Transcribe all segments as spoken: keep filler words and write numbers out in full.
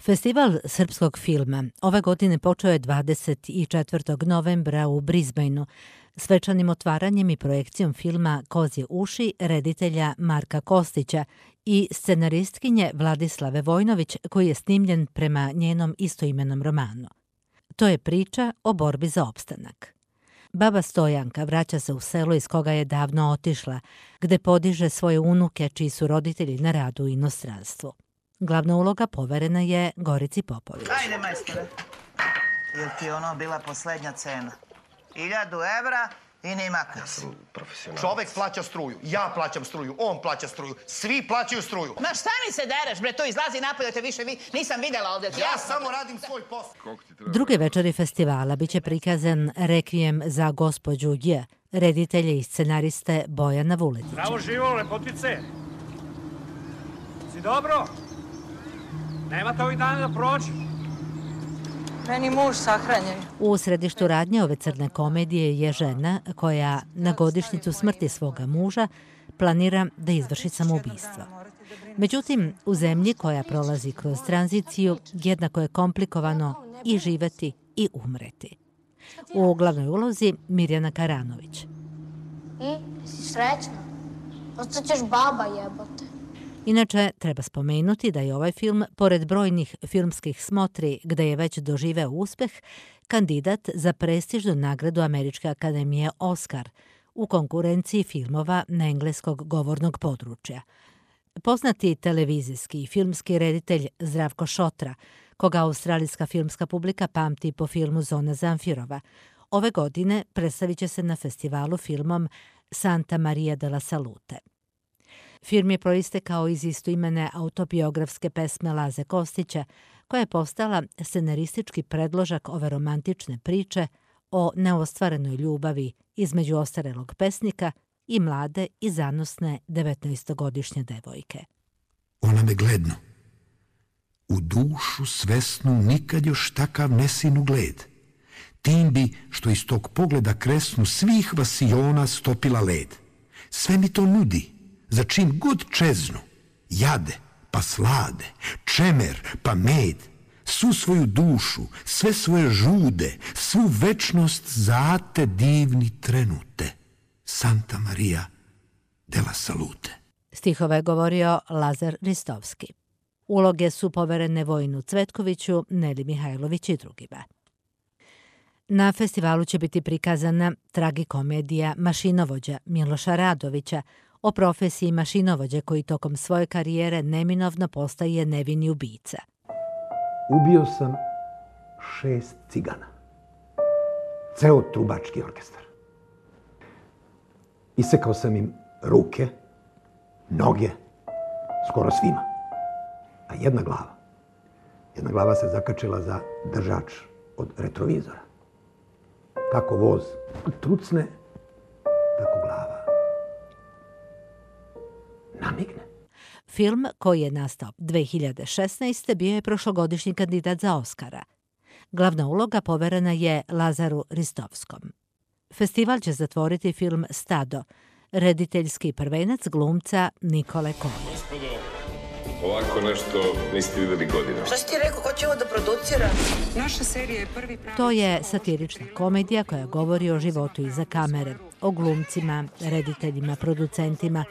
Festival srpskog filma ove godine počeo je dvadeset četvrtog novembra u Brisbaneu svečanim otvaranjem i projekcijom filma Kozje uši reditelja Marka Kostića i scenaristkinje Vladislave Vojnović, koji je snimljen prema njenom istoimenom romanu. To je priča o borbi za opstanak. Baba Stojanka vraća se u selo iz koga je davno otišla, gde podiže svoje unuke čiji su roditelji na radu u inostranstvu. Glavna uloga poverena je Gorici Popović. Ajde, majstore. Jel ti ono bila poslednja cena? Iljadu evra i ni makne. Ja sam profesionalac. Čovek plaća struju, ja plaćam struju, on plaća struju, svi plaćaju struju. Ma šta mi se dereš, bre, to izlazi napolje, te više vi, nisam videla ovdje. Ja samo radim svoj posao. Druge večeri festivala biće prikazan Rekvijem za gospođu J, reditelje i scenariste Bojana Vuletića. Zdravo živo, lepotice. Si dobro? Nemate ovih dana da prođe? Meni muž sahranjen. U središtu radnje ove crne komedije je žena koja na godišnjicu smrti svoga muža planira da izvrši samoubistvo. Međutim, u zemlji koja prolazi kroz tranziciju jednako je komplikovano i živeti i umreti. U glavnoj ulozi Mirjana Karanović. I, si srećna? Ostaćeš baba jebote. Inače, treba spomenuti da je ovaj film, pored brojnih filmskih smotri gde je već doživeo uspeh, kandidat za prestižnu nagradu Američke akademije Oskar u konkurenciji filmova na engleskog govornog područja. Poznati televizijski i filmski reditelj Zdravko Šotra, koga australijska filmska publika pamti po filmu Zona Zamfirova, ove godine predstavit će se na festivalu filmom Santa Maria de la Salute. Film je proistekao iz istoimene autobiografske pesme Laze Kostića, koja je postala scenaristički predložak ove romantične priče o neostvarenoj ljubavi između ostarelog pesnika i mlade i zanosne devetnaestogodišnje devojke. Ona me gledno. U dušu svesnu nikad još takav nesin ugled. Tim bi što iz tog pogleda kresnu svih vasiona stopila led. Sve mi to nudi. Za čim god čeznu, jade pa slade, čemer pa med, svu svoju dušu, sve svoje žude, svu večnost zate divni trenute. Santa Maria de la Salute. Stihove je govorio Lazar Ristovski. Uloge su poverene Vojinu Cvetkoviću, Neli Mihajlović i drugima. Na festivalu će biti prikazana tragikomedija Mašinovođa Miloša Radovića, o profesiji mašinovođe koji tokom svoje karijere neminovno postaje nevini ubica. Ubio sam šest cigana. Ceo trubački orkestar. Isekao sam im ruke, noge, skoro svima. A jedna glava, jedna glava se zakačila za držač od retrovizora. Kako voz trucne, tako glava namigne. Film, koji je nastao dve hiljade šesnaeste. bio je prošlogodišnji kandidat za Oskara. Glavna uloga poverena je Lazaru Ristovskom. Festival će zatvoriti film Stado, rediteljski prvenac glumca Nikole Koje. Gospodo, ovako nešto niste videli godina. Šta si ti rekao, ko će ovo da producira? Naša serija je prvi pravi... To je satirična komedija koja govori o životu iza kamere, o glumcima, rediteljima, producentima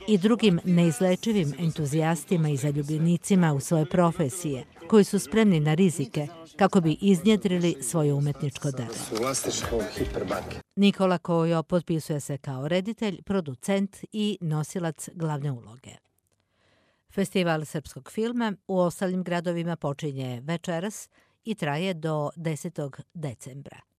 i drugim neizlečivim entuzijastima i zaljubljenicima u svoje profesije, koji su spremni na rizike kako bi iznjedrili svoje umetničko delo. Nikola Kojo potpisuje se kao reditelj, producent i nosilac glavne uloge. Festival srpskog filma u ostalim gradovima počinje večeras i traje do desetog decembra.